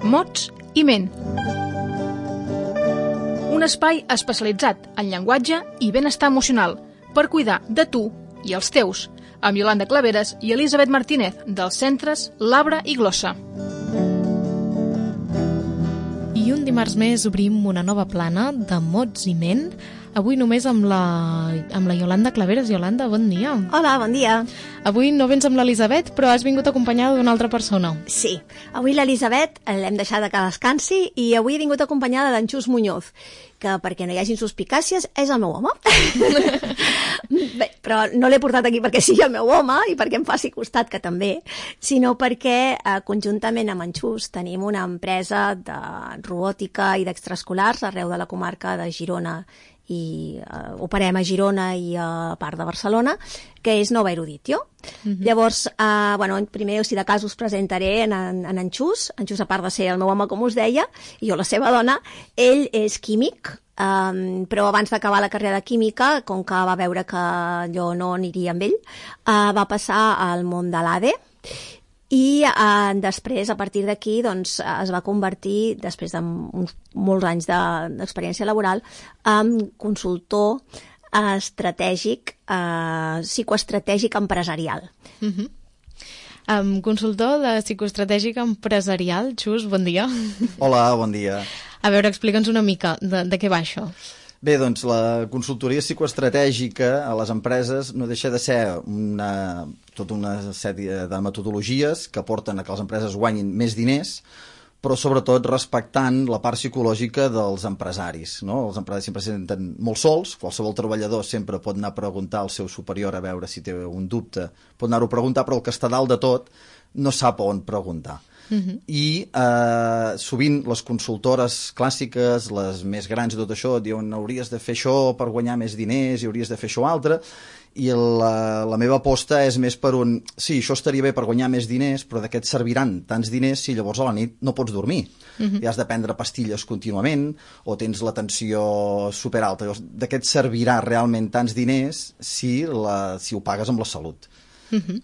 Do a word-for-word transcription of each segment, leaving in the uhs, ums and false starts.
mots i ment. Un espai especialitzat en llenguatge i benestar emocional per cuidar de tu i els teus, amb Iolanda Claveres i Elisabet Martínez, dels centres Labra i Glossa. I un dimarts més obrim una nova plana de mots i ment, avui només amb la, amb la Iolanda Claveres. Iolanda, bon dia. Hola, bon dia. Avui no vens amb l'Elisabet, però has vingut acompanyada d'una altra persona. Sí, avui l'Elisabet l'hem deixada que descansi i avui he vingut acompanyada d'en Xus Muñoz, que perquè no hi hagin suspicàcies és el meu home. Bé, però no l'he portat aquí perquè sigui el meu home i perquè em faci costat, que també, sinó perquè eh, conjuntament amb en Xus tenim una empresa de robòtica i d'extraescolars arreu de la comarca de Girona i uh, operem a Girona i a part de Barcelona, que és Nova Eruditio. Mm-hmm. Llavors, uh, bueno, primer, si de cas, us presentaré en, en, en en Xus. En Xus, a part de ser el meu home, com us deia, i jo la seva dona, ell és químic, um, però abans d'acabar la carrera de química, com que va veure que jo no aniria amb ell, uh, va passar al món de l'A D E, i eh, després, a partir d'aquí, doncs, es va convertir, després de uns, molts anys d'experiència de, laboral, en consultor eh, estratègic, eh, psicoestratègic empresarial. Uh-huh. Um, consultor de psicoestratègic empresarial. Xus, bon dia. Hola, bon dia. A veure, explica'ns una mica de, de què va això. Bé, doncs la consultoria psicoestratègica a les empreses no deixa de ser una, tota una sèrie de metodologies que porten a que les empreses guanyin més diners, però sobretot respectant la part psicològica dels empresaris, no? Els empresaris sempre se senten molt sols, qualsevol treballador sempre pot anar a preguntar al seu superior a veure si té un dubte, pot anar-ho a preguntar, però el que està dalt de tot no sap on preguntar. Uh-huh. I eh, sovint les consultores clàssiques, les més grans i tot això, diuen hauries de fer això per guanyar més diners i hauries de fer això altre, i la, la meva aposta és més per un sí, això estaria bé per guanyar més diners, però de què et serviran tants diners si llavors a la nit no pots dormir? Uh-huh. I has de prendre pastilles contínuament o tens la tensió superalta. Llavors, de què et servirà realment tants diners si, la, si ho pagues amb la salut? Uh-huh.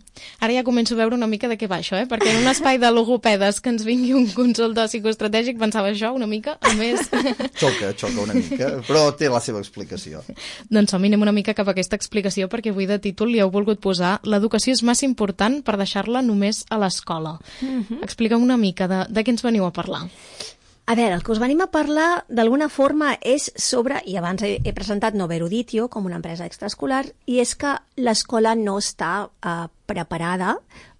Ara ja començo a veure una mica de què va això, eh? Perquè en un espai de logopedes que ens vingui un consultor psicoestratègic pensava això una mica, a més... Xoca, xoca una mica, però té la seva explicació. Doncs som, anem una mica cap a aquesta explicació, perquè avui de títol li heu volgut posar l'educació és massa important per deixar-la només a l'escola. Uh-huh. Explica'm una mica de, de què ens veniu a parlar. A veure, el que us venim a parlar d'alguna forma és sobre, i abans he, he presentat Nova Eruditio com una empresa extraescolar, i és que l'escola no està uh, preparada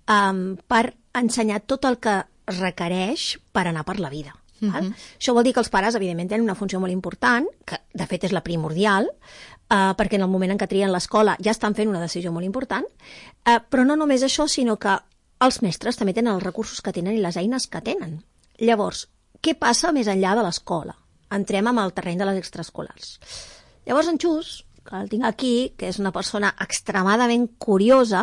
um, per ensenyar tot el que requereix per anar per la vida. Uh-huh. Val? Això vol dir que els pares, evidentment, tenen una funció molt important, que de fet és la primordial, uh, perquè en el moment en què trien l'escola ja estan fent una decisió molt important, uh, però no només això, sinó que els mestres també tenen els recursos que tenen i les eines que tenen. Llavors, què passa més enllà de l'escola? Entrem amb el terreny de les extraescolars. Llavors en Xus, que el tinc aquí, que és una persona extremadament curiosa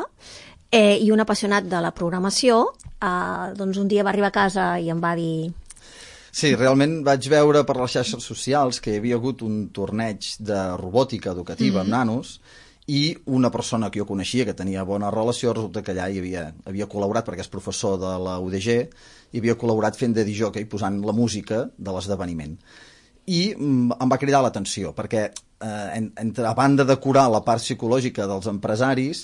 eh, i un apassionat de la programació, eh, doncs un dia va arribar a casa i em va dir... Sí, realment vaig veure per les xarxes socials que hi havia hagut un torneig de robòtica educativa mm-hmm. amb nanos i una persona que jo coneixia, que tenia bona relació, resulta que allà hi havia, havia col·laborat, perquè és professor de la U D G, i havia col·laborat fent de disjockey, posant la música de l'esdeveniment. I mm, em va cridar l'atenció, perquè eh, entre, a banda de curar la part psicològica dels empresaris,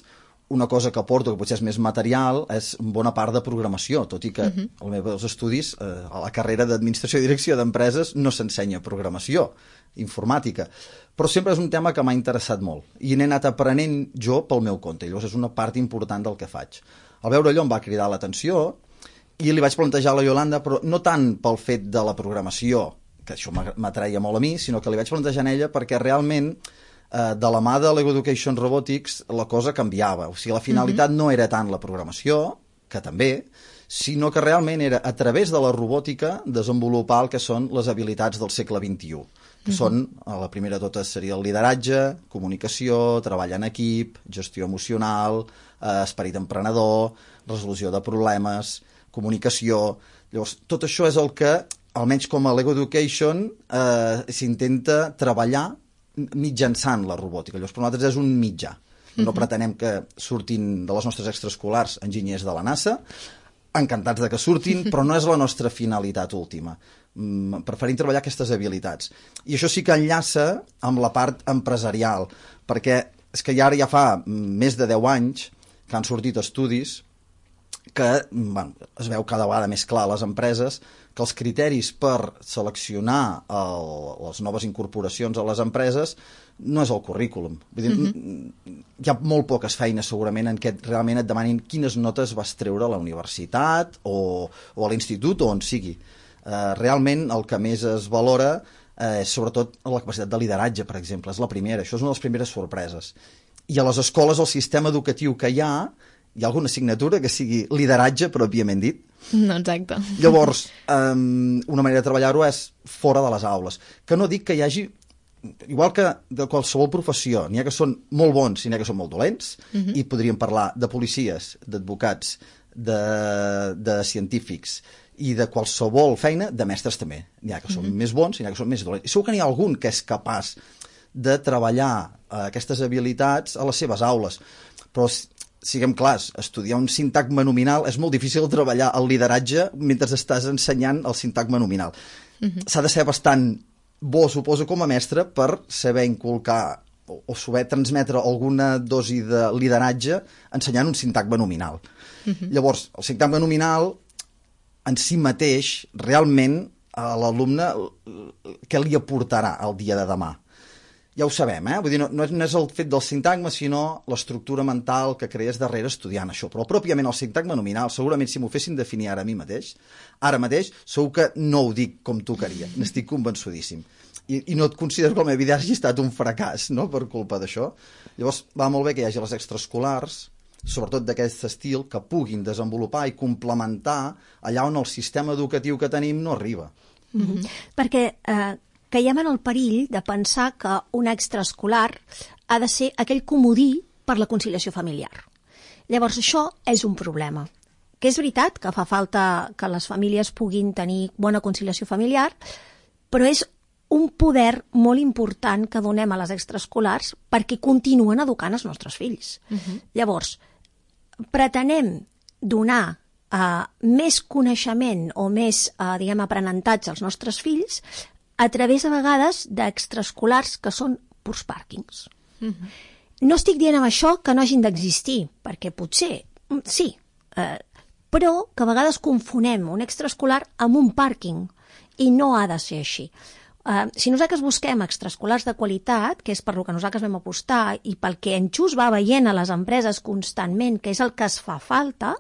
una cosa que aporto, que potser és més material, és bona part de programació, tot i que uh-huh. als meus estudis, eh, a la carrera d'Administració i Direcció d'Empreses, no s'ensenya programació informàtica. Però sempre és un tema que m'ha interessat molt i n'he anat aprenent jo pel meu compte. I llavors és una part important del que faig. Al veure allò em va cridar l'atenció i li vaig plantejar a la Iolanda, però no tant pel fet de la programació, que això m'atreia molt a mi, sinó que li vaig plantejar a ella perquè realment eh, de la mà de l'Ego Education Robotics la cosa canviava. O sigui, la finalitat mm-hmm. no era tant la programació, que també, sinó que realment era a través de la robòtica desenvolupar el que són les habilitats del segle vint-i-u. Que són, la primera de totes seria el lideratge, comunicació, treball en equip, gestió emocional, eh, esperit emprenedor, resolució de problemes, comunicació... Llavors, tot això és el que, almenys com a Lego Education, eh, s'intenta treballar mitjançant la robòtica. Llavors, per nosaltres és un mitjà. No uh-huh. pretenem que surtin de les nostres extraescolars enginyers de la NASA, encantats de que surtin, però no és la nostra finalitat última. Mm, preferim treballar aquestes habilitats. I això sí que enllaça amb la part empresarial, perquè és que ja ara ja fa més de deu anys que han sortit estudis que bueno, es veu cada vegada més clar a les empreses que els criteris per seleccionar el, les noves incorporacions a les empreses no és el currículum. Vull dir, mm-hmm. hi ha molt poques feines segurament en què realment et demanin quines notes vas treure a la universitat o, o a l'institut o on sigui. Eh, realment el que més es valora eh, és sobretot la capacitat de lideratge, per exemple. És la primera, això és una de les primeres sorpreses. I a les escoles, el sistema educatiu que hi ha, hi ha alguna assignatura que sigui lideratge, pròpiament dit? No, exacte. Llavors, um, una manera de treballar-ho és fora de les aules. Que no dic que hi hagi, igual que de qualsevol professió, n'hi ha que són molt bons i n'hi ha que són molt dolents, uh-huh. i podríem parlar de policies, d'advocats, de, de científics i de qualsevol feina, de mestres també. N'hi ha que són uh-huh. més bons i n'hi ha que són més dolents. I segur que n'hi ha algun que és capaç de treballar uh, aquestes habilitats a les seves aules. Però siguem clars, estudiar un sintagma nominal és molt difícil treballar el lideratge mentre estàs ensenyant el sintagma nominal. Uh-huh. S'ha de ser bastant bo, suposo, com a mestre per saber inculcar o, o saber transmetre alguna dosi de lideratge ensenyant un sintagma nominal. Uh-huh. Llavors, el sintagma nominal en si mateix, realment, a l'alumne què li aportarà el dia de demà? Ja ho sabem, eh? Vull dir, no, no és el fet del sintagma, sinó l'estructura mental que crees darrere estudiant això. Però pròpiament el sintagma nominal, segurament si m'ho fessin definir ara a mi mateix, ara mateix, segur que no ho dic com tocaria. N'estic convençudíssim. I, I no et considero que la meva vida hagi estat un fracàs, no?, per culpa d'això. Llavors, va molt bé que hi hagi les extraescolars, sobretot d'aquest estil, que puguin desenvolupar i complementar allà on el sistema educatiu que tenim no arriba. Mm-hmm. Perquè eh, caiem en el perill de pensar que un extraescolar ha de ser aquell comodí per la conciliació familiar. Llavors, això és un problema. Que és veritat que fa falta que les famílies puguin tenir bona conciliació familiar, però és un poder molt important que donem a les extraescolars perquè continuen educant els nostres fills. Uh-huh. Llavors, pretenem donar uh, més coneixement o més, uh, diguem, aprenentatge als nostres fills a través, a vegades, d'extraescolars que són purs pàrquings. Uh-huh. No estic dient amb això que no hagin d'existir, perquè potser, sí, eh, però que a vegades confonem un extraescolar amb un pàrquing, i no ha de ser així. Uh, si nosaltres busquem extraescolars de qualitat, que és per lo que nosaltres vam apostar i pel que en Xus va veient a les empreses constantment, que és el que es fa falta,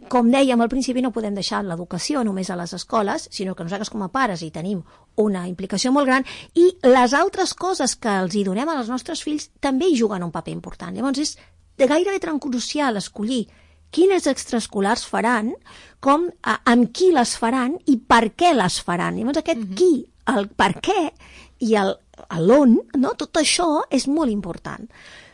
com dèiem al principi, no podem deixar l'educació només a les escoles, sinó que nosaltres com a pares hi tenim una implicació molt gran i les altres coses que els hi donem als nostres fills també hi juguen un paper important. Llavors és gairebé crucial escollir quines extraescolars faran, com, a, amb qui les faran i per què les faran. Llavors aquest uh-huh. qui, el per què i el l'on, no? Tot això és molt important.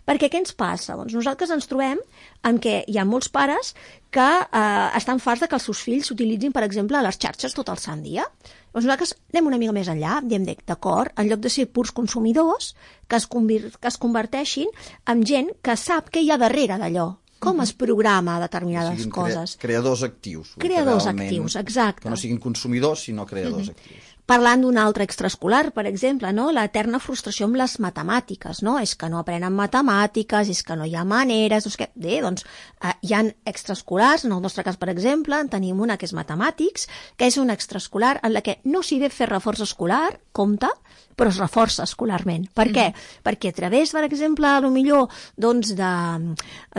Perquè què ens passa? Doncs nosaltres ens trobem en què hi ha molts pares que eh, estan farts de que els seus fills s'utilitzin, per exemple, a les xarxes tot el sant dia. Doncs nosaltres anem una mica més enllà, diem d'acord, en lloc de ser purs consumidors, que es, convir- que es converteixin en gent que sap què hi ha darrere d'allò, com es programa determinades siguin coses. Crea- creadors actius. Creadors actius, exacte. Que no siguin consumidors, sinó creadors uh-huh. actius. Parlant d'un altre extraescolar, per exemple, no? L'eterna frustració amb les matemàtiques, no? És que no aprenen matemàtiques, és que no hi ha maneres, doncs, que, bé, doncs eh, hi ha extraescolars, en el nostre cas, per exemple, en tenim una que és matemàtics, que és un extraescolar en la que no s'hi ve fer reforç escolar, compte, però es reforça escolarment. Per què? Mm. Perquè a través, per exemple, a lo millor, doncs, de,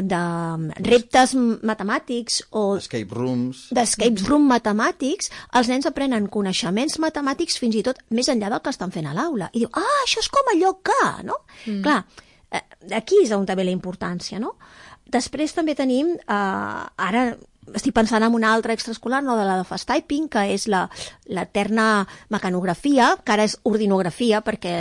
de reptes matemàtics o escape rooms, d'escape room matemàtics, els nens aprenen coneixements matemàtics fins i tot més enllà del que estan fent a l'aula. I diu, ah, això és com allò que, no? Mm. Clar, eh, aquí és on també la importància, no? Després també tenim, eh, ara estic pensant en una altra extraescolar, no, de la de fast typing, que és la l'eterna mecanografia, que ara és ordinografia, perquè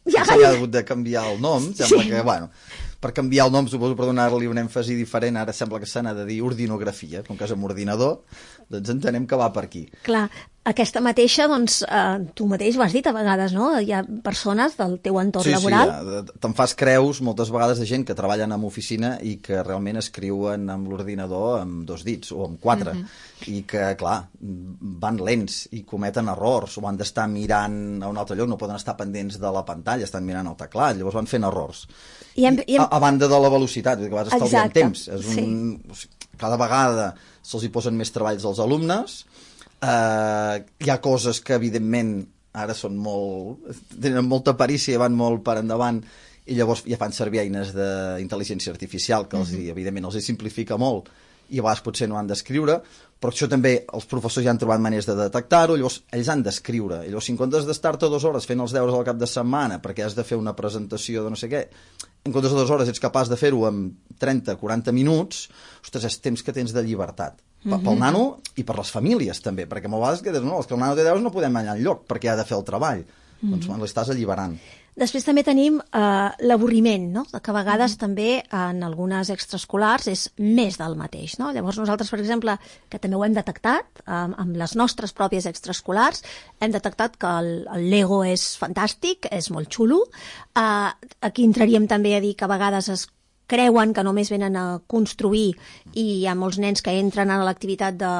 ja s'ha hagut de canviar el nom, sembla sí. que, bueno, per canviar el nom, suposo, per donar-li un èmfasi diferent, ara sembla que se n'ha de dir ordinografia, com que és amb ordinador, doncs entenem que va per aquí. Clar, Aquesta mateixa, doncs, eh, tu mateix ho has dit a vegades, no? Hi ha persones del teu entorn sí, laboral... Sí, sí, te'n fas creus moltes vegades de gent que treballen en oficina i que realment escriuen amb l'ordinador amb dos dits o amb quatre, mm-hmm. i que, clar, van lents i cometen errors, o han d'estar mirant a un altre lloc, no poden estar pendents de la pantalla, estan mirant el teclat, llavors van fent errors. I hem, i hem... A, a banda de la velocitat, vull dir que vas estalviant temps. És un... sí. Cada vegada se'ls hi posen més treballs als alumnes. Uh, hi ha coses que evidentment ara són molt, tenen molta perícia i van molt per endavant i llavors ja fan servir eines d'intel·ligència artificial que els, mm-hmm. evidentment els hi simplifica molt i a vegades potser no han d'escriure, però això també els professors ja han trobat maneres de detectar-ho, llavors ells han d'escriure, i llavors si en comptes d'estar-te dues hores fent els deures al cap de setmana perquè has de fer una presentació de no sé què, en comptes de dues hores ets capaç de fer-ho en trenta a quaranta minuts, ostres, és temps que tens de llibertat. Mm-hmm. Pel nano i per les famílies també, perquè a vegades que, no, els que el nano té deures no podem anar enlloc perquè ha de fer el treball, mm-hmm. doncs bueno, l'estàs alliberant. Després també tenim eh, l'avorriment, no? Que a vegades mm-hmm. també en algunes extraescolars és més del mateix, no? Llavors nosaltres, per exemple, que també ho hem detectat eh, amb les nostres pròpies extraescolars, hem detectat que el, el Lego és fantàstic, és molt xulo. Eh, aquí entraríem també a dir que a vegades es creuen que només venen a construir i hi ha molts nens que entren a l'activitat de,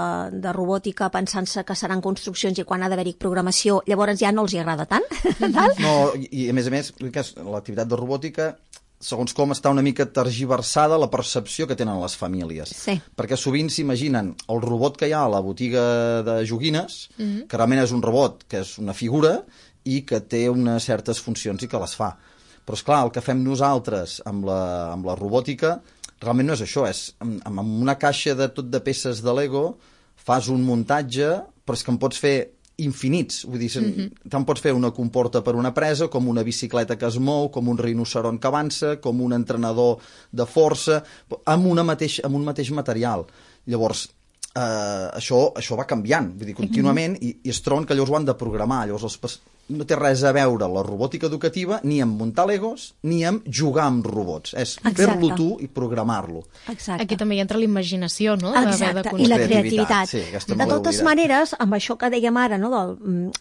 de robòtica pensant-se que seran construccions i quan ha d'haver-hi programació llavors ja no els hi agrada tant. No, i a més a més l'activitat de robòtica segons com està una mica tergiversada la percepció que tenen les famílies. Sí. Perquè sovint s'imaginen el robot que hi ha a la botiga de joguines, mm-hmm. que realment és un robot, que és una figura i que té unes certes funcions i que les fa. Però, esclar, el que fem nosaltres amb la, amb la robòtica realment no és això, és amb, amb una caixa de tot de peces de Lego fas un muntatge, però és que en pots fer infinits, vull dir, mm-hmm. tant pots fer una comporta per una presa, com una bicicleta que es mou, com un rinoceront que avança, com un entrenador de força, amb, una mateix, amb un mateix material. Llavors, eh, això, això va canviant, vull dir, contínuament, mm-hmm. i, i es troben que llavors ho han de programar, llavors els no té res a veure la robòtica educativa ni amb muntar Legos ni amb jugar amb robots. És fer-lo tu i programar-lo. Exacte. Aquí també hi entra la imaginació, no? Exacte, i la creativitat. Sí, de totes maneres, amb això que dèiem ara, no, del,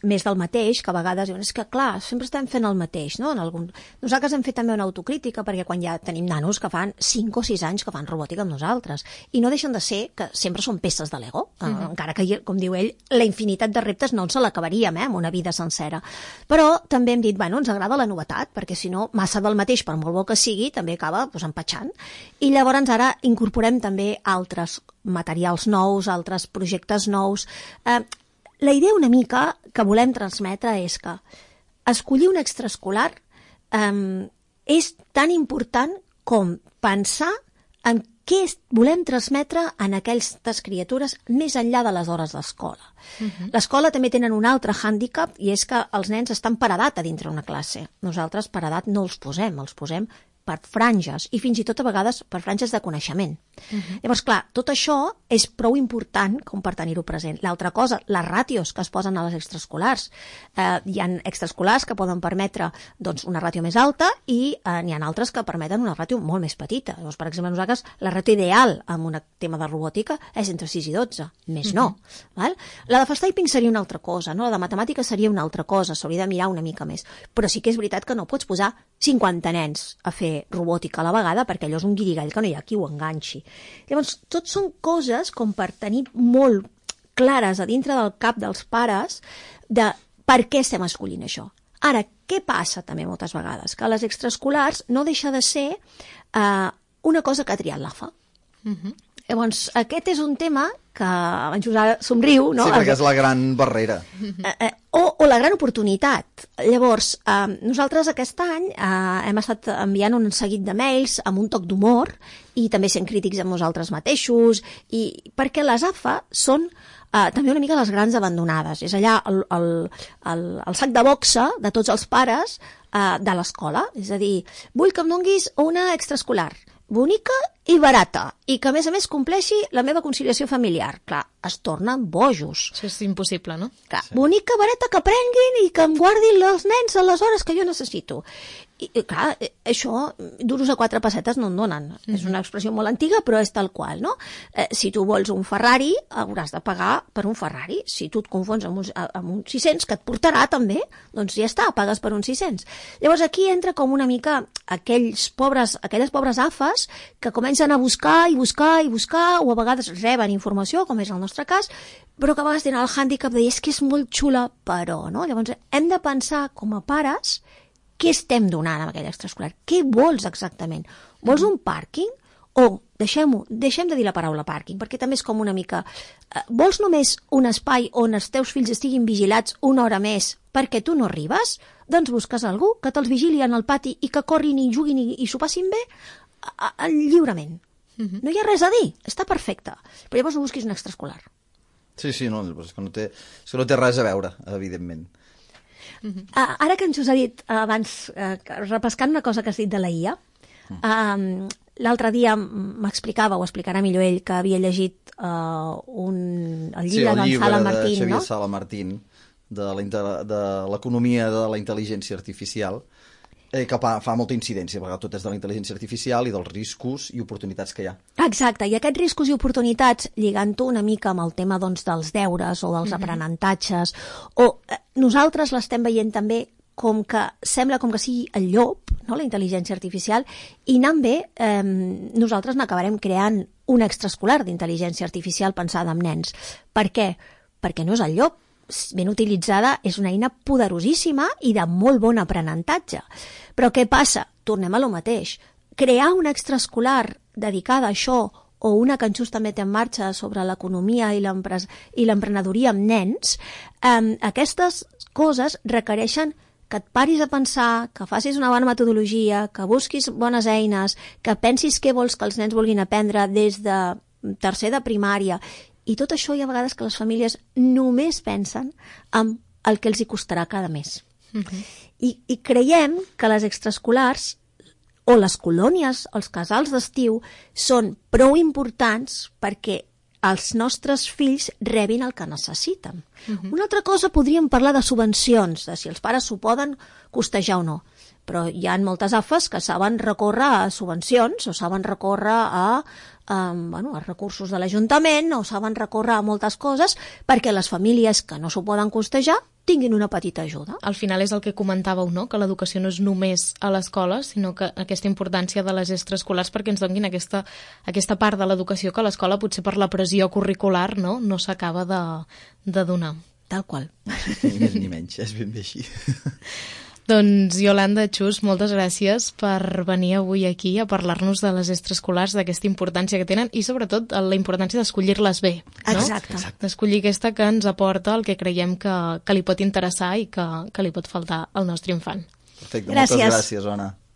més del mateix, que a vegades diuen, és que clar, sempre estem fent el mateix, no? En algun... Nosaltres hem fet també una autocrítica, perquè quan ja tenim nanos que fan cinc o sis anys que fan robòtica amb nosaltres, i no deixen de ser que sempre són peces de Lego, mm-hmm. encara que, com diu ell, la infinitat de reptes no ens se l'acabaríem, eh, amb una vida sencera. Però també hem dit, bueno, ens agrada la novetat, perquè si no, massa del mateix, per molt bo que sigui, també acaba pues, empatxant. I llavors ara incorporem també altres materials nous, altres projectes nous. Eh, la idea una mica que volem transmetre és que escollir un extraescolar eh, és tan important com pensar en què volem transmetre en aquestes criatures més enllà de les hores d'escola. Uh-huh. L'escola també tenen un altre hàndicap i és que els nens estan per edat a dintre una classe. Nosaltres per edat no els posem, els posem per franges i fins i tot a vegades per franges de coneixement. Uh-huh. Llavors, clar, tot això és prou important com per tenir-ho present. L'altra cosa, les ràtios que es posen a les extraescolars. Eh, hi ha extraescolars que poden permetre doncs, una ràtio més alta i eh, n'hi ha altres que permeten una ràtio molt més petita. Llavors, per exemple, nosaltres la ràtio ideal amb un tema de robòtica és entre sis i dotze, més uh-huh. no. Val? La de fast typing seria una altra cosa, no? La de matemàtica seria una altra cosa, s'hauria de mirar una mica més. Però sí que és veritat que no pots posar cinquanta nens a fer robòtica a la vegada perquè allò és un guirigall que no hi ha qui ho enganxi. Llavors, tot són coses com per tenir molt clares a dintre del cap dels pares de per què estem escollint això. Ara, què passa també moltes vegades? Que les extraescolars no deixa de ser eh, una cosa que ha triat l'A F A. Uh-huh. Llavors, aquest és un tema que en Josep somriu, no? Sí, perquè és la gran barrera. Eh, eh, o, o la gran oportunitat. Llavors, eh, nosaltres aquest any eh, hem estat enviant un seguit de mails amb un toc d'humor i també sent crítics amb nosaltres mateixos, i perquè les A F A són eh, també una mica les grans abandonades. És allà el, el, el, el sac de boxa de tots els pares eh, de l'escola. És a dir, vull que em donguis una extraescolar bonica i barata, i que a més a més compleixi la meva conciliació familiar. Clar, es tornen bojos. Això és impossible, no? Clar, sí. Bonica vareta que prenguin i que em guardin els nens a les hores que jo necessito. I, i clar, això, duros a quatre pessetes no en donen. Mm-hmm. És una expressió molt antiga, però és tal qual, no? Eh, si tu vols un Ferrari, hauràs de pagar per un Ferrari. Si tu et confons amb un, amb un sis-cents, que et portarà també, doncs ja està, pagues per un sis-cents. Llavors aquí entra com una mica aquells pobres, aquelles pobres afes que comencen a buscar i buscar i buscar, o a vegades reben informació, com és el nostre cas, però que a vegades tenen el hàndicap de dir és que és molt xula, però, no? Llavors hem de pensar com a pares què estem donant amb aquell extraescolar? Què vols exactament? Vols un pàrquing? O, deixem-ho, deixem de dir la paraula pàrquing, perquè també és com una mica... Eh, vols només un espai on els teus fills estiguin vigilats una hora més perquè tu no arribes? Doncs busques algú que te'ls vigili en el pati i que corrin i juguin i, i s'ho passin bé a, a, lliurement. Uh-huh. No hi ha res a dir, està perfecte. Però llavors no busquis un extraescolar. Sí, sí, no, és que no té, és que no té res a veure, evidentment. Uh-huh. Uh, ara que ens us ha dit uh, abans, uh, repescant una cosa que has dit de la I A, uh, l'altre dia m'explicava, o explicarà millor ell, que havia llegit uh, un, el llibre, sí, el llibre d'en Sala Martín, de Xavier no? Sala Martín, de l'economia de la intel·ligència artificial, eh, que fa, fa molta incidència, perquè tot és de la intel·ligència artificial i dels riscos i oportunitats que hi ha. Exacte, i aquests riscos i oportunitats, lligant-ho una mica amb el tema doncs, dels deures o dels mm-hmm. aprenentatges, o eh, nosaltres l'estem veient també com que sembla com que sigui el llop, no?, la intel·ligència artificial, i anant bé, eh, nosaltres n'acabarem creant un extraescolar d'intel·ligència artificial pensada en nens. Per què? Perquè no és el llop. Ben utilitzada, és una eina poderosíssima i de molt bon aprenentatge. Però què passa? Tornem a lo mateix. Crear una extraescolar dedicada a això, o una que en Xus també té en marxa sobre l'economia i l'emprenedoria amb nens, eh, aquestes coses requereixen que et paris a pensar, que facis una bona metodologia, que busquis bones eines, que pensis què vols que els nens vulguin aprendre des de tercer de primària. I tot això hi ha vegades que les famílies només pensen en el que els hi costarà cada mes. Uh-huh. I, I creiem que les extraescolars o les colònies, els casals d'estiu, són prou importants perquè els nostres fills rebin el que necessiten. Uh-huh. Una altra cosa, podríem parlar de subvencions, de si els pares s'ho poden costejar o no. Però hi ha moltes afes que saben recórrer a subvencions o saben recórrer a, a, bueno, a recursos de l'Ajuntament o saben recórrer a moltes coses perquè les famílies que no s'ho poden costejar tinguin una petita ajuda. Al final és el que comentàveu, no?, que l'educació no és només a l'escola, sinó que aquesta importància de les extraescolars perquè ens donin aquesta, aquesta part de l'educació que a l'escola potser per la pressió curricular no, no s'acaba de, de donar. Tal qual. Ni més ni menys, és ben bé així. Doncs, Iolanda, Xus, moltes gràcies per venir avui aquí a parlar-nos de les extraescolars, d'aquesta importància que tenen i, sobretot, la importància d'escollir-les bé. No? Exacte. D'escollir aquesta que ens aporta el que creiem que, que li pot interessar i que, que li pot faltar al nostre infant. Perfecte, gràcies. Moltes gràcies, Ona.